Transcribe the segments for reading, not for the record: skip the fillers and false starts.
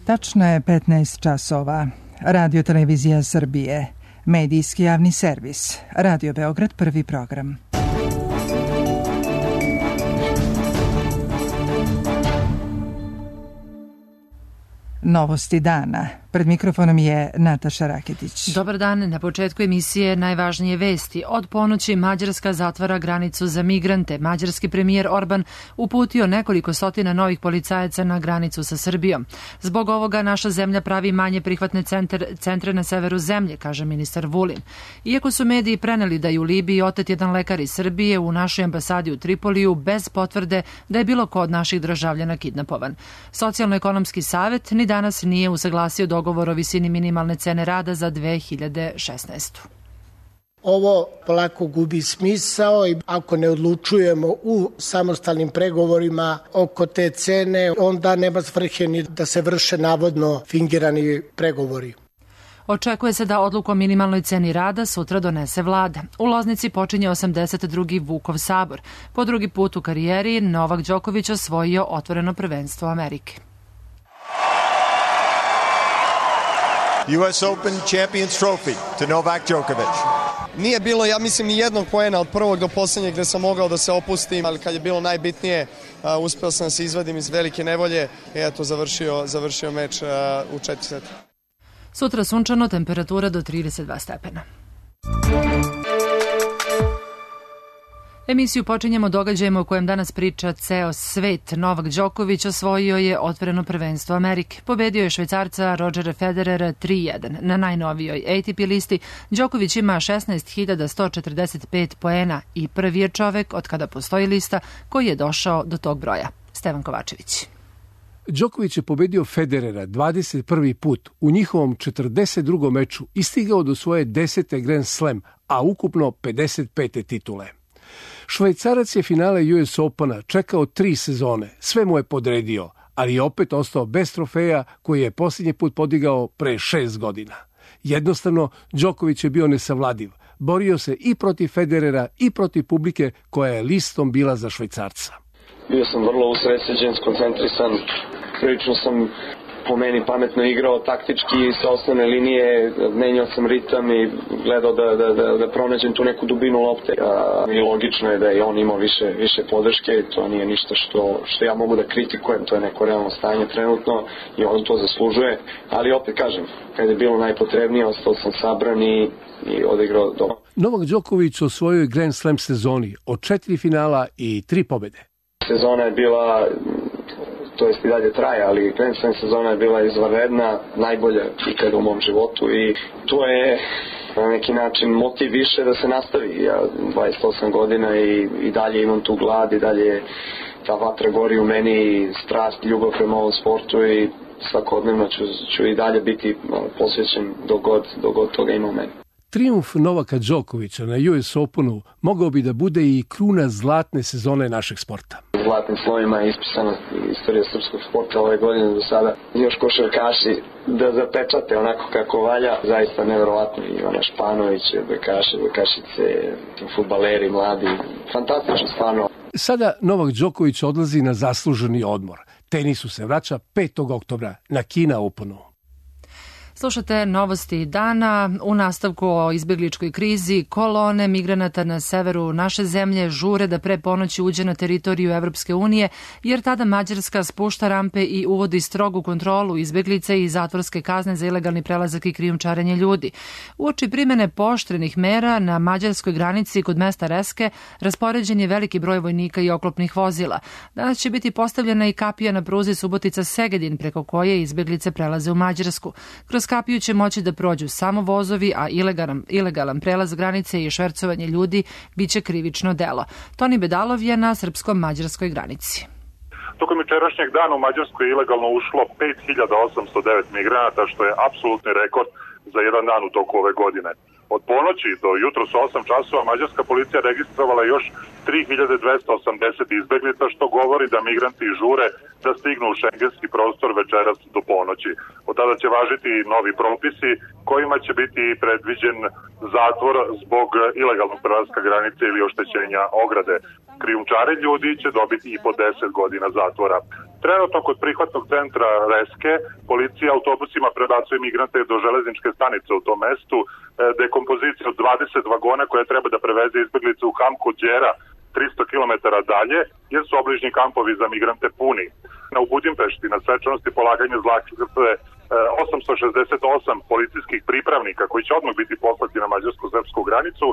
Tačno je 15 časova. Radio Televizija Srbije. Medijski javni servis. Radio Beograd, prvi program. Novosti dana. Pred mikrofonom je Nataša Raketić. Dobar dan. Na početku emisije najvažnije vesti. Od ponoći Mađarska zatvara granicu za migrante. Mađarski premijer Orban uputio nekoliko stotina novih policajaca na granicu sa Srbijom. Zbog ovoga naša zemlja pravi manje prihvatne centre na severu zemlje, kaže ministar Vulin. Iako su mediji preneli da je u Libiji otet jedan lekar iz Srbije, u našoj ambasadi u Tripoliju bez potvrde da je bilo ko od naših državljana kidnapovan. Socijalno-ekonomski savet ni danas nije usaglasio dogovor o visini minimalne cene rada za 2016. Ovo polako gubi smisao i ako ne odlučujemo u samostalnim pregovorima oko te cene, onda nema svrhe ni da se vrše navodno fingirani pregovori. Očekuje se da odluku o minimalnoj ceni rada sutra donese vlada. U Loznici počinje 82. Vukov sabor. Po drugi put u karijeri Novak Đoković osvojio otvoreno prvenstvo Amerike. US Open Champions Trophy to Novak Djokovic. Nije bilo, ja mislim, ni jednog poena od prvog do posljednjeg gde sam mogao da se opustim, ali kad je bilo najbitnije, uspeo sam da se izvadim iz velike nevolje i eto, završio meč u 4 seta. Sutra sunčano, temperatura do 32 stepena. Emisiju počinjemo događajima u kojem danas priča ceo svet. Novak Đoković osvojio je otvoreno prvenstvo Amerike. Pobedio je Švajcarca Rodgera Federera 3-1. Na najnovijoj ATP listi Đoković ima 16.145 poena i prvi je čovek od kada postoji lista koji je došao do tog broja. Stevan Kovačević. Đoković je pobedio Federera 21. put u njihovom 42. meču i stigao do svoje 10. Grand Slam, a ukupno 55. titule. Švajcarac je finale US Opena čekao 3 sezone, sve mu je podredio, ali je opet ostao bez trofeja koji je posljednji put podigao pre 6 godina. Jednostavno, Đoković je bio nesavladiv. Borio se i protiv Federera i protiv publike koja je listom bila za Švajcarca. Bio sam vrlo usredsređen, skoncentrisan, prilično sam po meni pametno igrao taktički sa osnovne linije, menjao sam ritam i gledao da pronađem tu neku dubinu lopte. I logično je da je on imao više podrške, to nije ništa što ja mogu da kritikujem, to je neko realno stanje trenutno i on to zaslužuje, ali opet kažem, kad je bilo najpotrebnije, ostao sam sabran i odigrao dobro. Novak Đoković u svojoj Grand Slam sezoni od 4 finala i 3 pobede. Sezona je bila, to jest i dalje traje, ali Grand Slam sezona je bila izvanredna, najbolja ikada u mom životu i to je na neki način motiv više da se nastavi. Ja 28 godina i dalje imam tu glad i dalje ta vatra gori u meni, strast, ljubav prema ovom sportu i svakodnevno ću i dalje biti posvećen dok god toga ima u meni. Trijumf Novaka Đokovića na US Openu mogao bi da bude i kruna zlatne sezone našeg sporta. Zlatnim slovima je ispisana istorija srpskog sporta ove godine do sada. Još košarkaši da zapečate onako kako valja, zaista nevjerovatno. Ivana Španović, Bekašice, fudbaleri, mladi, fantastično stvarno. Sada Novak Đoković odlazi na zasluženi odmor. Tenisu se vraća 5. oktobra na Kina Openu. Slušate novosti dana. U nastavku o izbjegličkoj krizi, kolone migranata na severu naše zemlje žure da pre ponoći uđe na teritoriju Evropske unije, jer tada Mađarska spušta rampe i uvodi strogu kontrolu izbjeglice i zatvorske kazne za ilegalni prelazak i krijumčarenje ljudi. Uoči primene pooštrenih mera na mađarskoj granici kod mesta Reske raspoređen je veliki broj vojnika i oklopnih vozila. Danas će biti postavljena i kapija na pruzi Subotica-Segedin, preko koje izbjeglice prelaze u Mađarsku. Kroz kapiju će moći da prođu samo vozovi, a ilegalan prelaz granice i švercovanje ljudi biće krivično delo. Toni Bedalov je na srpsko-mađarskoj granici. Tokom jučerašnjeg dana u Mađarsku je ilegalno ušlo 5809 migranata, što je apsolutni rekord za jedan dan u toku ove godine. Od ponoći do jutros 8 časova mađarska policija registrovala još 3280 izbeglica, što govori da migranti žure da stignu u šengenski prostor večeras do ponoći. Od tada će važiti novi propisi kojima će biti predviđen zatvor zbog ilegalnog prelaska granice ili oštećenja ograde. Krijumčari ljudi će dobiti i po 10 godina zatvora. Trenutno kod prihvatnog centra Reske policija autobusima prebacuje migrante do železničke stanice u tom mestu. Dekompozicija od 20 vagona koja treba da preveze izbeglice u kamp kod Đera 300 km dalje, jer su obližnji kampovi za migrante puni. U Budimpešti na svečanosti polaganja zlatnice 868 policijskih pripravnika koji će odmah biti poslati na mađarsko-srpsku granicu.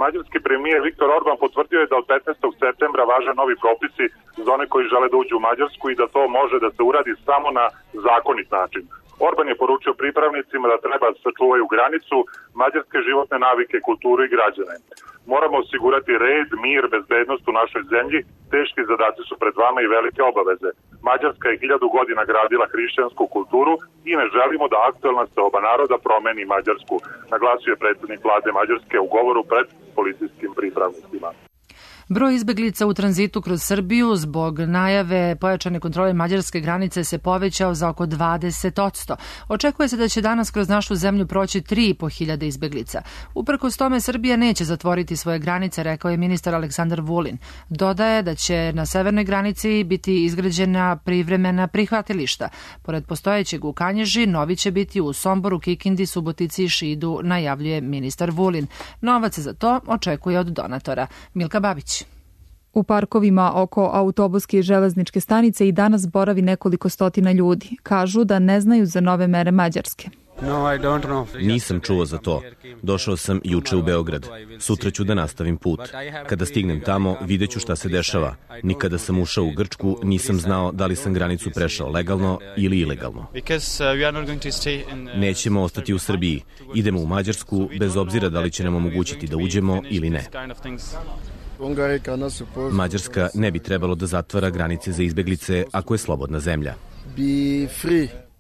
Mađarski premijer Viktor Orban potvrdio je da od 15. septembra važe novi propisi za one koji žele da uđu u Mađarsku i da to može da se uradi samo na zakonit način. Orban je poručio pripravnicima da treba da sačuvaju granicu, mađarske životne navike, kulturu i građane. Moramo osigurati red, mir, bezbednost u našoj zemlji, teški zadaci su pred vama i velike obaveze. Mađarska je 1000 godina gradila hrišćansku kulturu i ne želimo da aktuelna seoba naroda promeni Mađarsku, naglasio je predsjednik vlade Mađarske u govoru pred policijskim pripravnicima. Broj izbeglica u tranzitu kroz Srbiju zbog najave pojačane kontrole mađarske granice se povećao za oko 20%. Očekuje se da će danas kroz našu zemlju proći 3.500 izbeglica. Uprkos tome Srbija neće zatvoriti svoje granice, rekao je ministar Aleksandar Vulin. Dodaje da će na severnoj granici biti izgrađena privremena prihvatilišta. Pored postojećeg u Kanjiži, novi će biti u Somboru, Kikindi, Subotici i Šidu, najavljuje ministar Vulin. Novac za to očekuje od donatora. Milka Babić. U parkovima oko autobuske i železničke stanice i danas boravi nekoliko stotina ljudi. Kažu da ne znaju za nove mere Mađarske. Nisam čuo za to. Došao sam juče u Beograd. Sutra ću da nastavim put. Kada stignem tamo, vidjet ću šta se dešava. Nikada sam ušao u Grčku, nisam znao da li sam granicu prešao legalno ili ilegalno. Nećemo ostati u Srbiji. Idemo u Mađarsku, bez obzira da li će nam omogućiti da uđemo ili ne. Mađarska ne bi trebalo da zatvara granice za izbeglice ako je slobodna zemlja.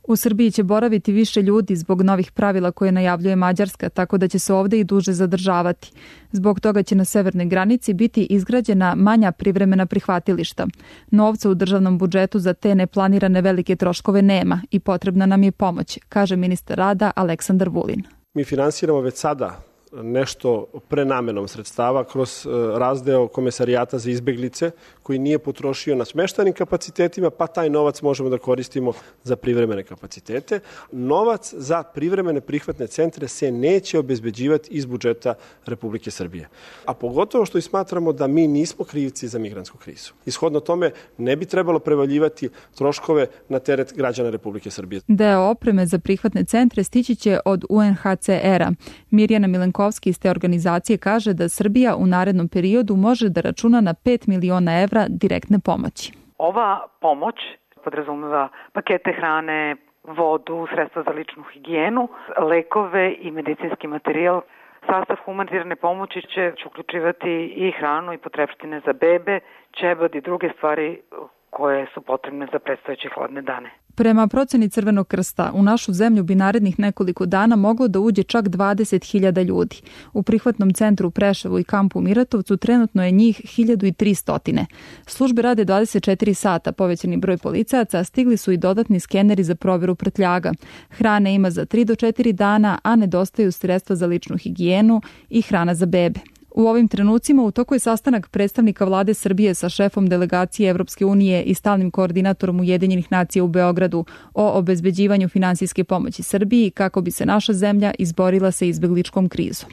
U Srbiji će boraviti više ljudi zbog novih pravila koje najavljuje Mađarska, tako da će se ovde i duže zadržavati. Zbog toga će na severnoj granici biti izgrađena manja privremena prihvatilišta. Novca u državnom budžetu za te neplanirane velike troškove nema i potrebna nam je pomoć, kaže ministar rada Aleksandar Vulin. Mi finansiramo već sada nešto prenamenom sredstava kroz razdeo Komesarijata za izbeglice koji nije potrošio na smeštajnim kapacitetima, pa taj novac možemo da koristimo za privremene kapacitete. Novac za privremene prihvatne centre se neće obezbeđivati iz budžeta Republike Srbije. A pogotovo što i smatramo da mi nismo krivci za migrantsku krizu. Ishodno tome ne bi trebalo prevaljivati troškove na teret građana Republike Srbije. Deo opreme za prihvatne centre stići će od UNHCR-a. Mirjana Milenkovska iz te organizacije kaže da Srbija u narednom periodu može da računa na 5 miliona evra direktne pomoći. Ova pomoć podrazumeva pakete hrane, vodu, sredstva za ličnu higijenu, lekove i medicinski materijal. Sastav humanitarne pomoći će uključivati i hranu i potrepštine za bebe, ćebad i druge stvari koje su potrebne za predstojeće hladne dane. Prema proceni Crvenog krsta, u našu zemlju bi narednih nekoliko dana moglo da uđe čak 20.000 ljudi. U prihvatnom centru u Preševu i kampu u Miratovcu trenutno je njih 1300. Službe rade 24 sata, povećani broj policajaca, a stigli su i dodatni skeneri za proveru prtljaga. Hrane ima za 3 do 4 dana, a nedostaju sredstva za ličnu higijenu i hrana za bebe. U ovim trenucima u toku je sastanak predstavnika vlade Srbije sa šefom delegacije Evropske unije i stalnim koordinatorom Ujedinjenih nacija u Beogradu o obezbeđivanju finansijske pomoći Srbiji kako bi se naša zemlja izborila sa izbegličkom krizom.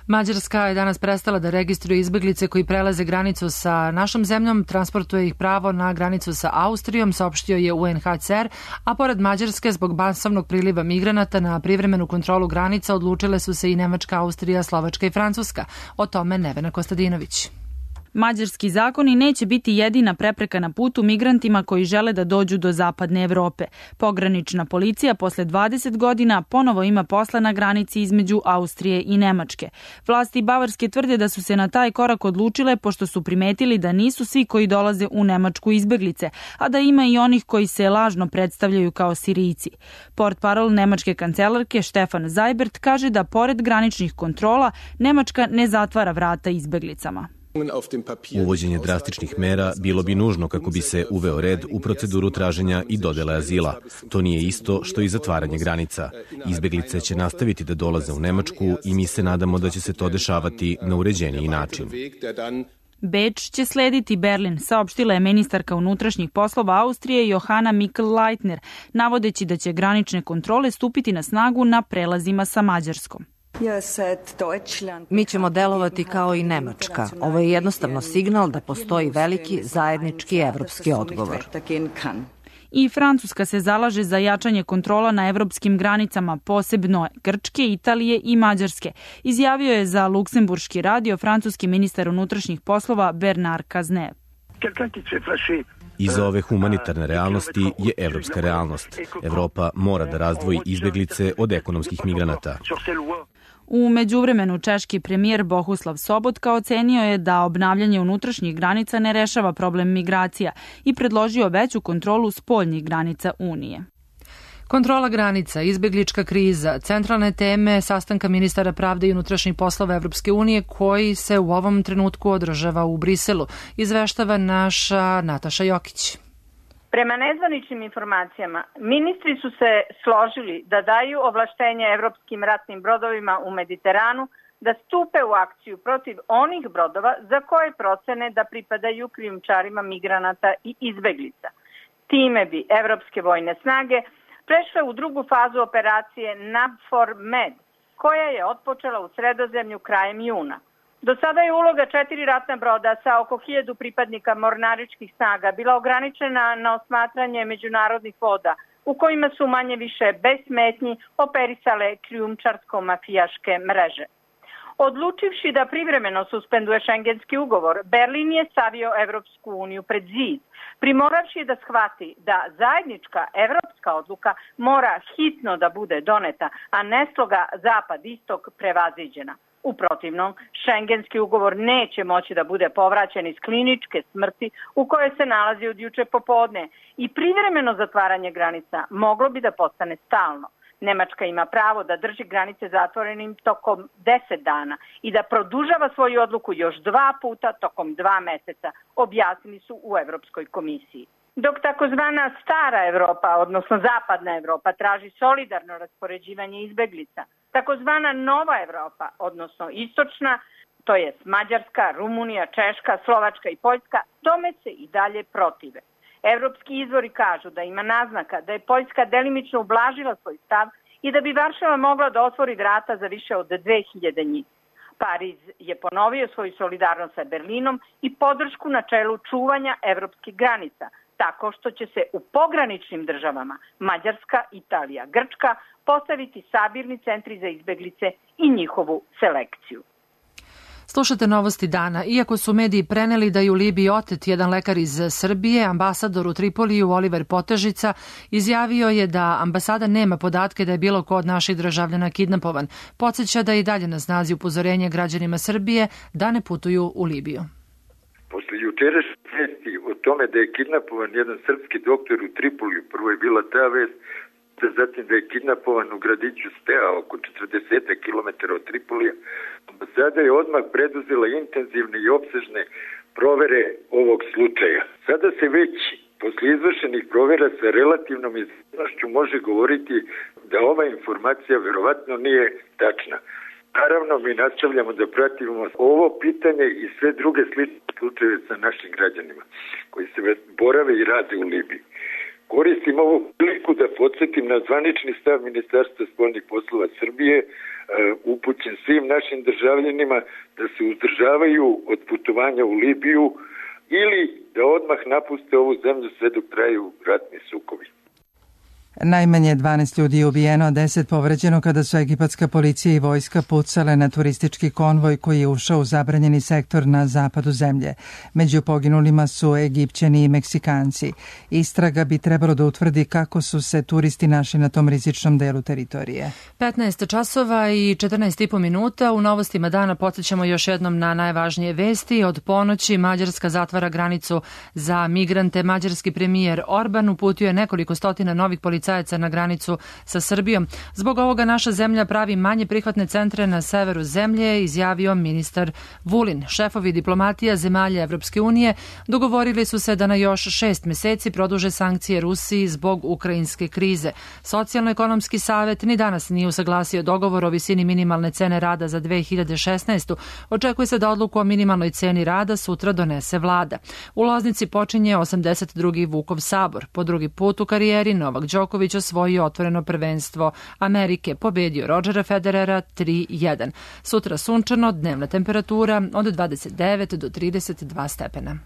Mađarska je danas prestala da registruje izbeglice koji prelaze granicu sa našom zemljom, transportuje ih pravo na granicu sa Austrijom, saopštio je UNHCR, a pored Mađarske zbog masovnog priliva migranata na privremenu kontrolu granica odlučile su se i Nemačka, Austrija, Slovačka i Francuska. O tome Nevena Kostadinović. Mađarski zakoni neće biti jedina prepreka na putu migrantima koji žele da dođu do zapadne Evrope. Pogranična policija posle 20 godina ponovo ima posla na granici između Austrije i Nemačke. Vlasti Bavarske tvrde da su se na taj korak odlučile pošto su primetili da nisu svi koji dolaze u Nemačku izbeglice, a da ima i onih koji se lažno predstavljaju kao Sirijci. Portparol nemačke kancelarke Stefan Seibert kaže da pored graničnih kontrola Nemačka ne zatvara vrata izbeglicama. Uvođenje drastičnih mera bilo bi nužno kako bi se uveo red u proceduru traženja i dodele azila. To nije isto što i zatvaranje granica. Izbeglice će nastaviti da dolaze u Nemačku i mi se nadamo da će se to dešavati na uređeniji način. Beč će slediti Berlin, saopštila je ministarka unutrašnjih poslova Austrije Johanna Mikl-Leitner, navodeći da će granične kontrole stupiti na snagu na prelazima sa Mađarskom. Mi ćemo delovati kao i Nemačka. Ovo je jednostavno signal da postoji veliki zajednički evropski odgovor. I Francuska se zalaže za jačanje kontrola na evropskim granicama, posebno Grčke, Italije i Mađarske, izjavio je za Luksemburški radio francuski ministar unutrašnjih poslova Bernard Cazeneuve. Iza ove humanitarne realnosti je evropska realnost. Evropa mora da razdvoji izbeglice od ekonomskih migranata. U međuvremenu češki premijer Bohuslav Sobotka ocenio je da obnavljanje unutrašnjih granica ne rešava problem migracija i predložio veću kontrolu spoljnih granica Unije. Kontrola granica, izbeglička kriza, centralne teme sastanka ministara pravde i unutrašnjih poslova Evropske unije koji se u ovom trenutku održava u Briselu, izveštava naša Nataša Jokić. Prema nezvaničnim informacijama, ministri su se složili da daju ovlaštenje evropskim ratnim brodovima u Mediteranu da stupe u akciju protiv onih brodova za koje procene da pripadaju krijumčarima migranata i izbeglica. Time bi evropske vojne snage prešle u drugu fazu operacije NAVFOR Med, koja je otpočela u Sredozemlju krajem juna. Do sada je uloga 4 ratna broda sa oko 1000 pripadnika mornaričkih snaga bila ograničena na osmatranje međunarodnih voda, u kojima su manje više bez smetnji operisale krijumčarsko-mafijaške mreže. Odlučivši da privremeno suspenduje šengenski ugovor, Berlin je stavio Evropsku uniju pred zid, primoravši da shvati da zajednička evropska odluka mora hitno da bude doneta, a ne sloga zapad-istok prevaziđena. U protivnom, šengenski ugovor neće moći da bude povraćen iz kliničke smrti u kojoj se nalazi od juče popodne i privremeno zatvaranje granica moglo bi da postane stalno. Nemačka ima pravo da drži granice zatvorenim tokom 10 dana i da produžava svoju odluku još 2 puta tokom 2 meseca, objasnili su u Evropskoj komisiji. Dok takozvana stara Evropa, odnosno zapadna Evropa, traži solidarno raspoređivanje izbeglica, takozvana nova Evropa, odnosno istočna, to jest Mađarska, Rumunija, Češka, Slovačka i Poljska, tome se i dalje protive. Evropski izvori kažu da ima naznaka da je Poljska delimično ublažila svoj stav i da bi Varšava mogla da otvori vrata za više od 2000 njih. Pariz je ponovio svoju solidarnost sa Berlinom i podršku na čelu čuvanja evropskih granica, tako što će se u pograničnim državama Mađarska, Italija, Grčka postaviti sabirni centri za izbeglice i njihovu selekciju. Slušate novosti dana. Iako su mediji preneli da je u Libiji otet jedan lekar iz Srbije, ambasador u Tripoliju Oliver Potežica izjavio je da ambasada nema podatke da je bilo ko od naših državljana kidnapovan. Podseća da je i dalje na snazi upozorenje građanima Srbije da ne putuju u Libiju. Posle jučerašnje vesti o tome da je kidnapovan jedan srpski doktor u Tripoliju, prvo je bila ta vest, zatim da je kidnapovan u gradiću Stea, oko 40 km od Tripolija. Ambasada je odmah preduzela intenzivne i opsežne provere ovog slučaja. Sada se već posle izvršenih provera sa relativnom izvršnošću može govoriti da ova informacija verovatno nije tačna. Naravno, mi nastavljamo da pratimo ovo pitanje i sve druge slične slučajeve sa našim građanima koji se borave i rade u Libiji. Koristim ovu priliku da podsjetim na zvanični stav Ministarstva spoljnih poslova Srbije, upućen svim našim državljanima da se uzdržavaju od putovanja u Libiju ili da odmah napuste ovu zemlju sve dok traju ratni sukobi. Najmanje 12 ljudi je ubijeno, a 10 povređeno kada su egipatska policija i vojska pucale na turistički konvoj koji je ušao u zabranjeni sektor na zapadu zemlje. Među poginulima su Egipćani i Meksikanci. Istraga bi trebalo da utvrdi kako su se turisti našli na tom rizičnom delu teritorije. 15 časova i 14,5 minuta. U novostima dana podsjećamo još jednom na najvažnije vesti. Od ponoći Mađarska zatvara granicu za migrante. Mađarski premijer Orban uputio je nekoliko stotina novih policajaca policajaca na granicu sa Srbijom. Zbog ovoga naša zemlja pravi manje prihvatne centre na severu zemlje, izjavio ministar Vulin. Šefovi diplomatija zemalja Evropske unije dogovorili su se da na još 6 meseci produže sankcije Rusiji zbog ukrajinske krize. Socijalno-ekonomski savet ni danas nije usaglasio dogovor o visini minimalne cene rada za 2016. Očekuje se da odluku o minimalnoj ceni rada sutra donese vlada. U Loznici počinje 82. Vukov sabor. Po drugi put u karijeri Novak Đoković osvojio otvoreno prvenstvo Amerike. Pobedio Rodgera Federera 3-1. Sutra sunčano, dnevna temperatura od 29 do 32 stepena.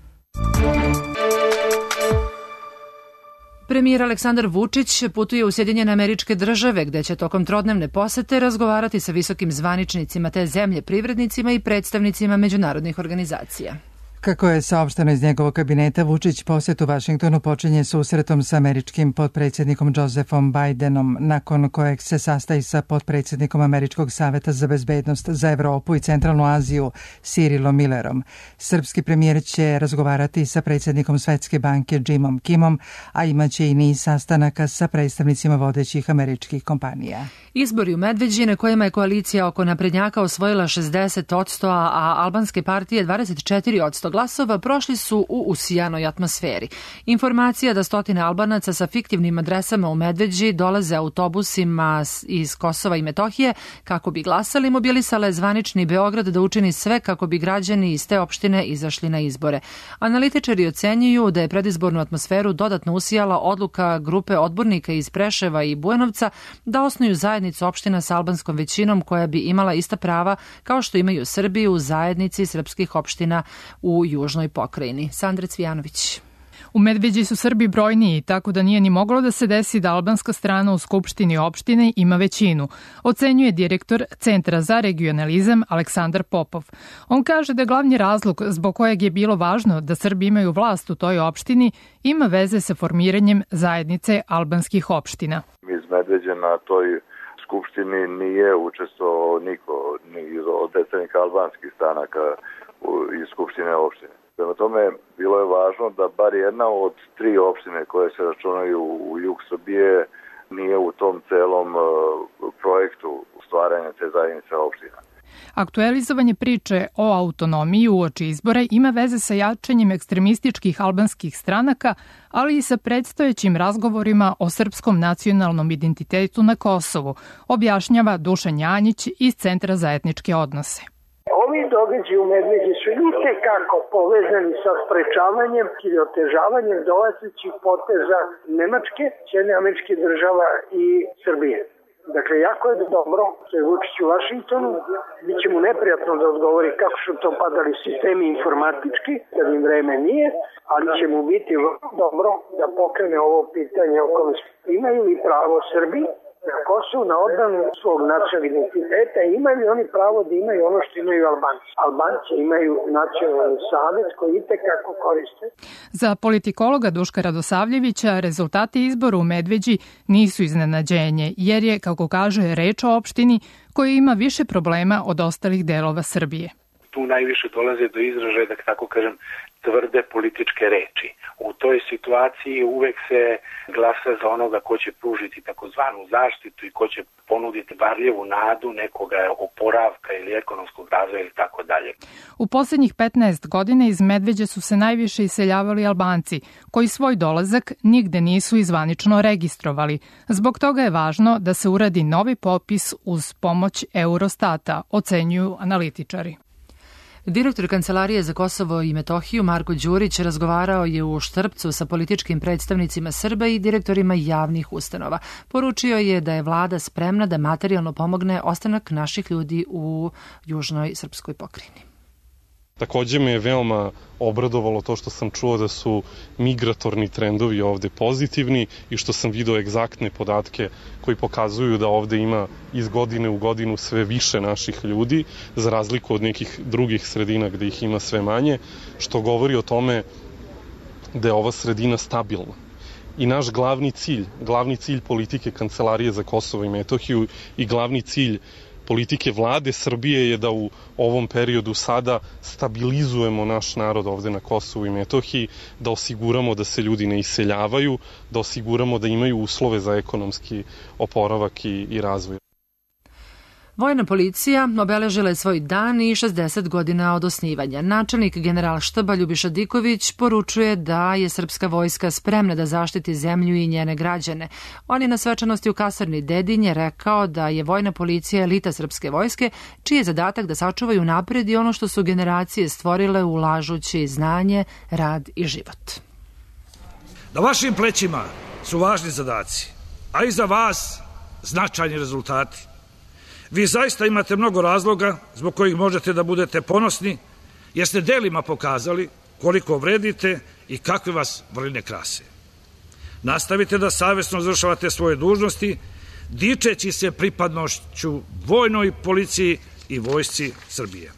Premijer Aleksandar Vučić putuje u Sjedinjene Američke Države, gde će tokom trodnevne posete razgovarati sa visokim zvaničnicima te zemlje, privrednicima i predstavnicima međunarodnih organizacija. Kako je saopšteno iz njegovog kabineta, Vučić posjet u Vašingtonu počinje susretom sa američkim potpredsjednikom Josephom Bidenom, nakon kojeg se sastaje sa potpredsjednikom Američkog saveta za bezbednost za Evropu i Centralnu Aziju Cyrilom Millerom. Srpski premijer će razgovarati sa predsjednikom Svetske banke Jimom Kimom, a imaće i niz sastanaka sa predstavnicima vodećih američkih kompanija. Izbori u Medveđi, na kojima je koalicija oko naprednjaka osvojila 60%, a albanske partije 24% glasova, prošli su u usijanoj atmosferi. Informacija da stotine Albanaca sa fiktivnim adresama u Medveđi dolaze autobusima iz Kosova i Metohije kako bi glasali, mobilisala je zvanični Beograd da učini sve kako bi građani iz te opštine izašli na izbore. Analitičari ocenjuju da je predizbornu atmosferu dodatno usijala odluka grupe odbornika iz Preševa i Bujanovca da osnuju zajednicu opština sa albanskom većinom koja bi imala ista prava kao što imaju Srbi u zajednici srpskih opština u južnoj pokrajini. Sandra Cvijanović. U Medveđi su Srbi brojniji, tako da nije ni moglo da se desi da albanska strana u Skupštini opštine ima većinu, ocenjuje direktor Centra za regionalizam Aleksandar Popov. On kaže da glavni razlog zbog kojeg je bilo važno da Srbi imaju vlast u toj opštini ima veze sa formiranjem zajednice albanskih opština. Iz Medveđa na toj Skupštini nije učestvovao niko, ni od predstavnika albanskih stranaka iz Skupštine opštine. Prema tome, bilo je važno da bar jedna od 3 opštine koje se računaju u jug Srbije nije u tom celom projektu stvaranja te zajednice opština. Aktualizovanje priče o autonomiji uoči izbora ima veze sa jačanjem ekstremističkih albanskih stranaka, ali i sa predstojećim razgovorima o srpskom nacionalnom identitetu na Kosovu, objašnjava Dušan Janjić iz Centra za etničke odnose. Ovi događaji u Medveđi su itekako povezani sa sprečavanjem ili otežavanjem dolazećih poteza Nemačke, Sjedinjenih Američkih Država i Srbije. Dakle, jako je dobro što je Vučić u Vašingtonu, bit će mu neprijatno da odgovori kako su to padali sistemi informatički, kad im vreme nije, ali će mu biti dobro da pokrene ovo pitanje o kome imaju li pravo Srbi na Kosovu na odbranu svog nacionalnog identiteta i imaju li oni pravo da imaju ono što imaju Albanci. Albanci imaju nacionalni savez koji itekako koriste. Za politikologa Duška Radosavljevića rezultati izbora u Medveđi nisu iznenađenje, jer je, kako kaže, reč o opštini koja ima više problema od ostalih delova Srbije. Tu najviše dolaze do izražaja, da tako kažem, tvrde političke reči. U toj situaciji uvek se glasa za onoga ko će pružiti takozvanu zaštitu i ko će ponuditi varljivu nadu nekoga oporavka ili ekonomskog razvoja ili tako dalje. U poslednjih 15 godina iz Medveđe su se najviše iseljavali Albanci, koji svoj dolazak nigde nisu izvanično registrovali. Zbog toga je važno da se uradi novi popis uz pomoć Eurostata, ocenjuju analitičari. Direktor Kancelarije za Kosovo i Metohiju Marko Đurić razgovarao je u Štrpcu sa političkim predstavnicima Srba i direktorima javnih ustanova. Poručio je da je vlada spremna da materijalno pomogne ostanak naših ljudi u južnoj srpskoj pokrajini. Takođe me je veoma obradovalo to što sam čuo da su migratorni trendovi ovde pozitivni i što sam video egzaktne podatke koji pokazuju da ovde ima iz godine u godinu sve više naših ljudi, za razliku od nekih drugih sredina gde ih ima sve manje, što govori o tome da je ova sredina stabilna. I naš glavni cilj politike Kancelarije za Kosovo i Metohiju i glavni cilj politike vlade Srbije je da u ovom periodu sada stabilizujemo naš narod ovde na Kosovu i Metohiji, da osiguramo da se ljudi ne iseljavaju, da osiguramo da imaju uslove za ekonomski oporavak i razvoj. Vojna policija obeležila je svoj dan i 60 godina od osnivanja. Načelnik Generalštaba Ljubiša Diković poručuje da je srpska vojska spremna da zaštiti zemlju i njene građane. On je na svečanosti u kasarni Dedinje rekao da je vojna policija elita srpske vojske, čiji je zadatak da sačuvaju napred i ono što su generacije stvorile ulažući znanje, rad i život. Na vašim plećima su važni zadaci, a i za vas značajni rezultati. Vi zaista imate mnogo razloga zbog kojih možete da budete ponosni, jer ste delima pokazali koliko vredite i kakve vas vrline krase. Nastavite da savesno izvršavate svoje dužnosti, dičeći se pripadnošću vojnoj policiji i vojsci Srbije.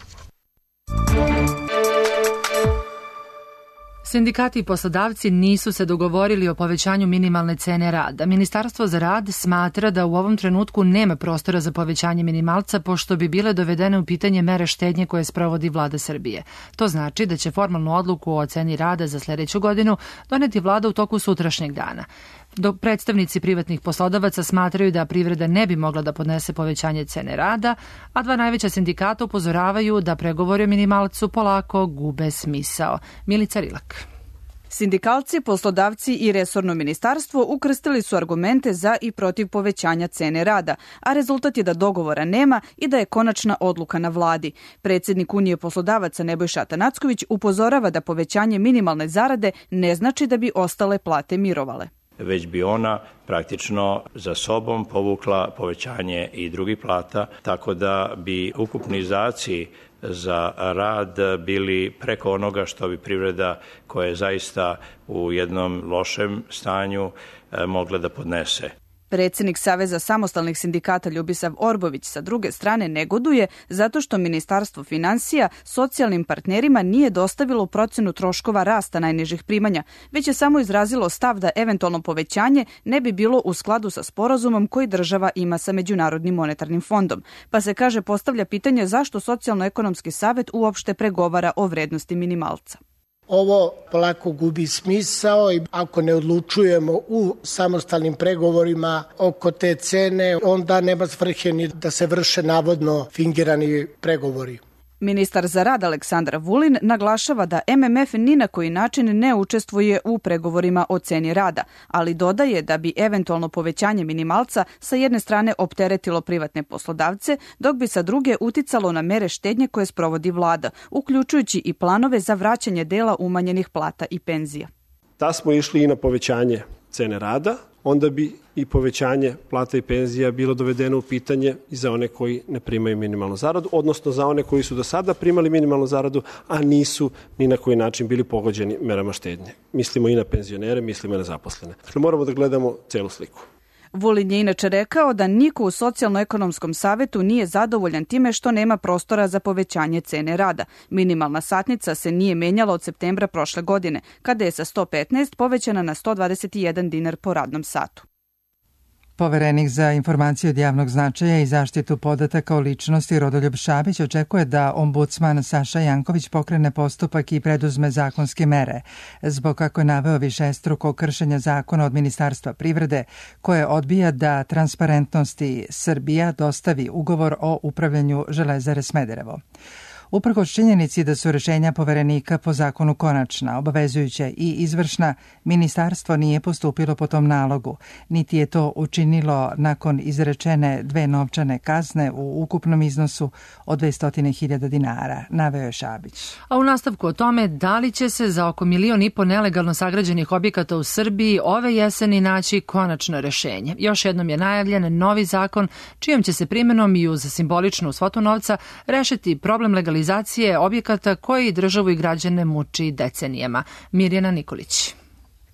Sindikati i poslodavci nisu se dogovorili o povećanju minimalne cene rada. Ministarstvo za rad smatra da u ovom trenutku nema prostora za povećanje minimalca, pošto bi bile dovedene u pitanje mere štednje koje sprovodi vlada Srbije. To znači da će formalnu odluku o ceni rada za sledeću godinu doneti vlada u toku sutrašnjeg dana. Dok predstavnici privatnih poslodavaca smatraju da privreda ne bi mogla da podnese povećanje cene rada, a dva najveća sindikata upozoravaju da pregovori o minimalcu polako gube smisao. Milica Rilak. Sindikalci, poslodavci i resorno ministarstvo ukrstili su argumente za i protiv povećanja cene rada, a rezultat je da dogovora nema i da je konačna odluka na vladi. Predsednik Unije poslodavaca Nebojša Atanacković upozorava da povećanje minimalne zarade ne znači da bi ostale plate mirovale. Već bi ona praktično za sobom povukla povećanje i drugih plata, tako da bi ukupni izdaci za rad bili preko onoga što bi privreda koja je zaista u jednom lošem stanju mogla da podnese. Predsednik Saveza samostalnih sindikata Ljubisav Orbović sa druge strane negoduje zato što Ministarstvo finansija socijalnim partnerima nije dostavilo procenu troškova rasta najnižih primanja, već je samo izrazilo stav da eventualno povećanje ne bi bilo u skladu sa sporazumom koji država ima sa Međunarodnim monetarnim fondom. Pa se, kaže, postavlja pitanje zašto Socijalno-ekonomski savet uopšte pregovara o vrednosti minimalca. Ovo polako gubi smisao i ako ne odlučujemo u samostalnim pregovorima oko te cene, onda nema svrhe ni da se vrše navodno fingirani pregovori. Ministar za rad Aleksandar Vulin naglašava da MMF ni na koji način ne učestvuje u pregovorima o ceni rada, ali dodaje da bi eventualno povećanje minimalca sa jedne strane opteretilo privatne poslodavce, dok bi sa druge uticalo na mere štednje koje sprovodi vlada, uključujući i planove za vraćanje dela umanjenih plata i penzija. Da smo išli i na povećanje cene rada, onda bi i povećanje plata i penzija bilo dovedeno u pitanje i za one koji ne primaju minimalnu zaradu, odnosno za one koji su do sada primali minimalnu zaradu, a nisu ni na koji način bili pogođeni merama štednje. Mislimo i na penzionere, mislimo i na zaposlene. Dakle, moramo da gledamo celu sliku. Vulin je inače rekao da niko u Socijalno-ekonomskom savetu nije zadovoljan time što nema prostora za povećanje cene rada. Minimalna satnica se nije menjala od septembra prošle godine, kada je sa 115 povećana na 121 dinar po radnom satu. Poverenik za informacije od javnog značaja i zaštitu podataka o ličnosti Rodoljub Šabić očekuje da ombudsman Saša Janković pokrene postupak i preduzme zakonske mere, zbog kako je naveo višestruko kršenja zakona od Ministarstva privrede, koje odbija da Transparentnosti Srbija dostavi ugovor o upravljanju Železare Smederevo. Uprkos činjenici da su rešenja poverenika po zakonu konačna, obavezujuća i izvršna, ministarstvo nije postupilo po tom nalogu, niti je to učinilo nakon izrečene 2 novčane kazne u ukupnom iznosu od 200.000 dinara, naveo je Šabić. A u nastavku o tome da li će se za oko 1,5 miliona nelegalno sagrađenih objekata u Srbiji ove jeseni naći konačno rešenje. Još jednom je najavljen novi zakon čijom će se primenom i uz simboličnu svotu novca rešiti problem legalizacije objekata koji državu i građane muči decenijama. Mirjana Nikolić.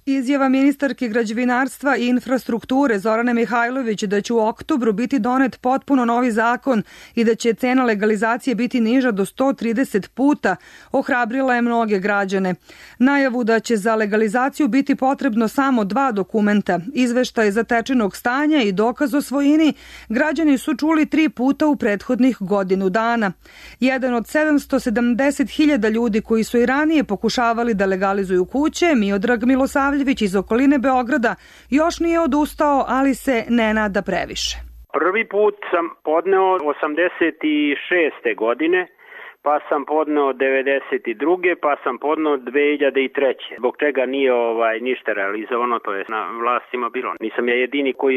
Izjava ministarke građevinarstva i infrastrukture Zorane Mihajlović da će u oktobru biti donet potpuno novi zakon i da će cena legalizacije biti niža do 130 puta ohrabrila je mnoge građane. Najavu da će za legalizaciju biti potrebno samo 2 dokumenta, izveštaj zatečenog stanja i dokaz o svojini, građani su čuli 3 puta u prethodnih godinu dana. Jedan od 770.000 ljudi koji su i ranije pokušavali da legalizuju kuće, Miodrag Milosavljević iz okoline Beograda, još nije odustao, ali se ne nada previše. Prvi put sam podneo 86. godine, pa sam podneo 92. pa sam podneo 2003. Zbog čega nije ništa realizovano, to je na vlastima bilo. Nisam ja jedini koji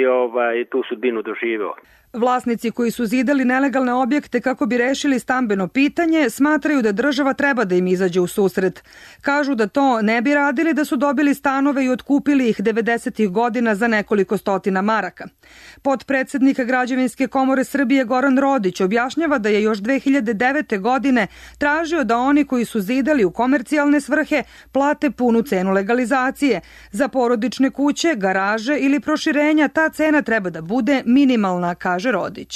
je tu sudbinu doživeo. Vlasnici koji su zidali nelegalne objekte kako bi rešili stambeno pitanje smatraju da država treba da im izađe u susret. Kažu da to ne bi radili da su dobili stanove i otkupili ih 90. godina za nekoliko stotina maraka. Potpredsednik Građevinske komore Srbije Goran Rodić objašnjava da je još 2009. godine tražio da oni koji su zidali u komercijalne svrhe plate punu cenu legalizacije. Za porodične kuće, garaže ili proširenja ta cena treba da bude minimalna, kaže Rodić.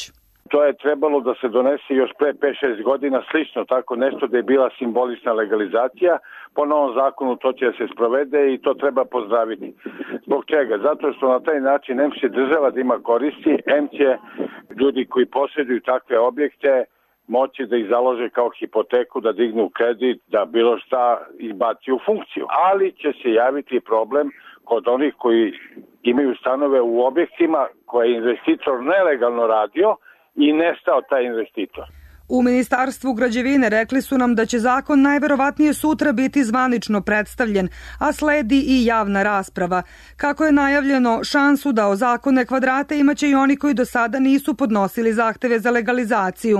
To je trebalo da se donese još pre 5-6 godina, slično tako nešto da je bila simbolična legalizacija. Po novom zakonu to će da se sprovede i to treba pozdraviti. Zbog čega? Zato što na taj način em će država da ima koristi, em će ljudi koji posjeduju takve objekte moći da ih založe kao hipoteku, da dignu kredit, da bilo šta izbaci u funkciju. Ali će se javiti problem kod onih koji imaju stanove u objektima koje je investitor nelegalno radio i nestao taj investitor. U Ministarstvu građevine rekli su nam da će zakon najverovatnije sutra biti zvanično predstavljen, a sledi i javna rasprava. Kako je najavljeno, šansu da ozakone kvadrate imaće i oni koji do sada nisu podnosili zahteve za legalizaciju.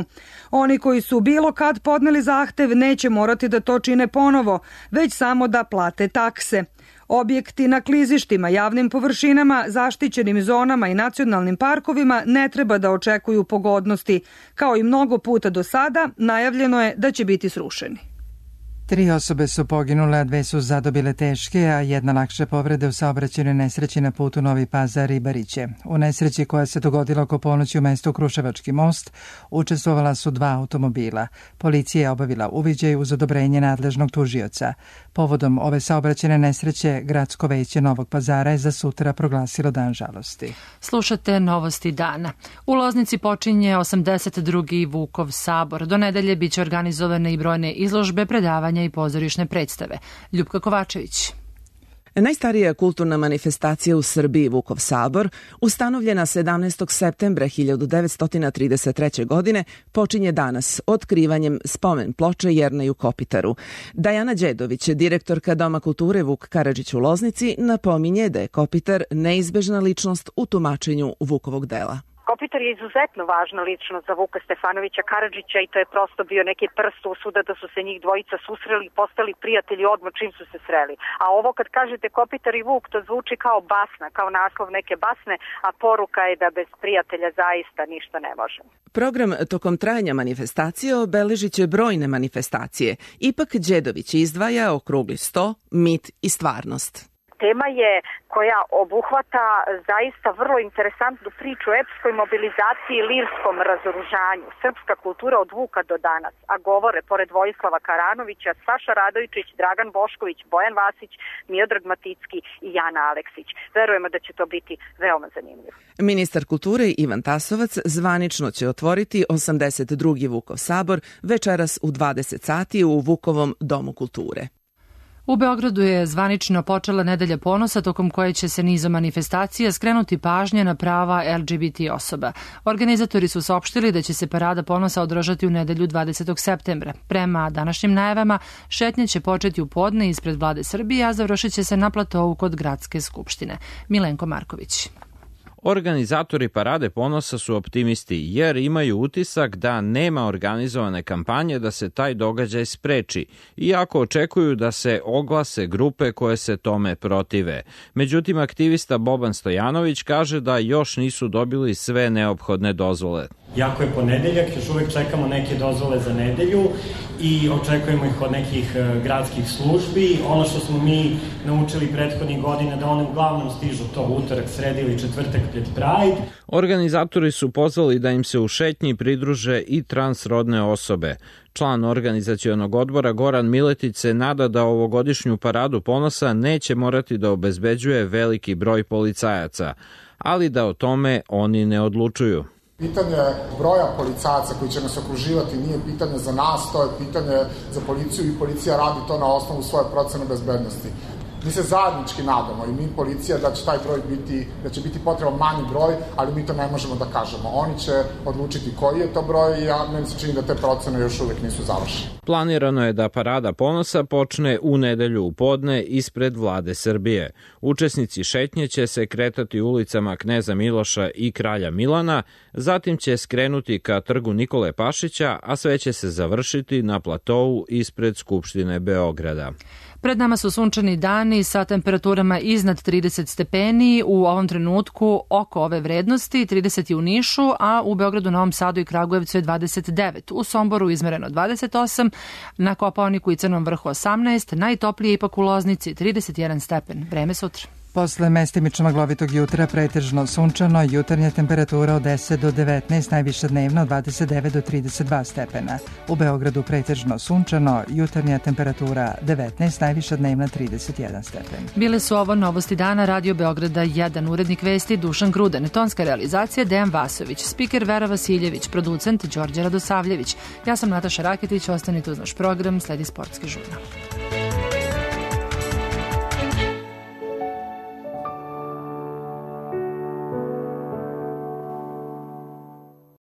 Oni koji su bilo kad podneli zahtev neće morati da to čine ponovo, već samo da plate takse. Objekti na klizištima, javnim površinama, zaštićenim zonama i nacionalnim parkovima ne treba da očekuju pogodnosti. Kao i mnogo puta do sada, najavljeno je da će biti srušeni. 3 osobe su poginule, a 2 su zadobile teške, a 1 lakše povrede u saobraćajnoj nesreći na putu Novi Pazar-Ribariće. U nesreći koja se dogodila oko ponoći u mestu Kruševački most učestvovala su 2 automobila. Policija je obavila uviđaj uz odobrenje nadležnog tužioca. Povodom ove saobraćajne nesreće, Gradsko veće Novog Pazara je za sutra proglasilo dan žalosti. Slušate Novosti dana. U Loznici počinje 82. Vukov sabor. Do nedelje biće organizovane i brojne izložbe, predavanja i pozorišne predstave. Ljupka Kovačević. Najstarija kulturna manifestacija u Srbiji, Vukov sabor, ustanovljena 17. septembra 1933. godine, počinje danas otkrivanjem spomen ploče Jerneju Kopitaru. Dajana Đedović, direktorka Doma kulture Vuk Karadžić u Loznici, napominje da je Kopitar neizbežna ličnost u tumačenju Vukovog dela. Kopitar je izuzetno važna ličnost za Vuka Stefanovića Karadžića i to je prosto bio neki prst usuda da su se njih dvojica susreli i postali prijatelji odmah čim su se sreli. A ovo kad kažete Kopitar i Vuk, to zvuči kao basna, kao naslov neke basne, a poruka je da bez prijatelja zaista ništa ne može. Program tokom trajanja manifestacije obeležit će brojne manifestacije. Ipak Đedović izdvaja okrugli sto, mit i stvarnost. Tema je koja obuhvata zaista vrlo interesantnu priču o epskoj mobilizaciji i lirskom razoružanju. Srpska kultura od Vuka do danas. A govore, pored Vojislava Karanovića, Saša Radojičić, Dragan Bošković, Bojan Vasić, Miodrag Maticki i Jana Aleksić. Verujemo da će to biti veoma zanimljivo. Ministar kulture Ivan Tasovac zvanično će otvoriti 82. Vukov sabor večeras u 20 sati u Vukovom domu kulture. U Beogradu je zvanično počela Nedelja ponosa tokom koje će se nizom manifestacija skrenuti pažnje na prava LGBT osoba. Organizatori su saopštili da će se Parada ponosa održati u nedelju 20. septembra. Prema današnjim najavama, šetnja će početi u podne ispred Vlade Srbije, a završit će se na platovu kod Gradske skupštine. Milenko Marković. Organizatori Parade ponosa su optimisti jer imaju utisak da nema organizovane kampanje da se taj događaj spreči, iako očekuju da se oglase grupe koje se tome protive. Međutim, aktivista Boban Stojanović kaže da još nisu dobili sve neophodne dozvole. Jako je ponedeljak, još uvek čekamo neke dozvole za nedelju i očekujemo ih od nekih gradskih službi. Ono što smo mi naučili prethodnih godina da one uglavnom stižu to utorak, sreda ili četvrtak pred Pride. Organizatori su pozvali da im se u šetnji pridruže i transrodne osobe. Član organizacionog odbora Goran Miletić se nada da ovogodišnju paradu ponosa neće morati da obezbeđuje veliki broj policajaca, ali da o tome oni ne odlučuju. Pitanje broja policajaca koji će nas okruživati nije pitanje za nas, to je pitanje za policiju i policija radi to na osnovu svoje procene bezbednosti. Mi se zajednički nadamo i mi policija da će taj broj biti, da će biti potreban manji broj, ali mi to ne možemo da kažemo. Oni će odlučiti koji je to broj i meni se čini da te procene još uvek nisu završene. Planirano je da parada ponosa počne u nedelju u podne ispred Vlade Srbije. Učesnici šetnje će se kretati ulicama Kneza Miloša i Kralja Milana, zatim će skrenuti ka trgu Nikole Pašića, a sve će se završiti na platou ispred Skupštine Beograda. Pred nama su sunčani dani sa temperaturama iznad 30 stepeni, u ovom trenutku oko ove vrednosti, 30 je u Nišu, a u Beogradu, Novom Sadu i Kragujevcu je 29. U Somboru izmereno 28, na Kopaoniku i Crnom Vrhu 18, najtoplije ipak u Loznici 31 stepen. Vreme sutra. Posle mestimično maglovitog jutra pretežno sunčano, jutarnja temperatura od 10 do 19, najviša dnevna od 29 do 32 stepena. U Beogradu pretežno sunčano, jutarnja temperatura 19, najviša dnevna 31 stepen. Bile su ovo novosti dana Radio Beograda 1, urednik vesti Dušan Gruden, tonska realizacija Dejan Vasović, spiker Vera Vasiljević, producent Đorđe Radosavljević. Ja sam Nataša Raketić, ostanite uz naš program, sledi sportski žurnal.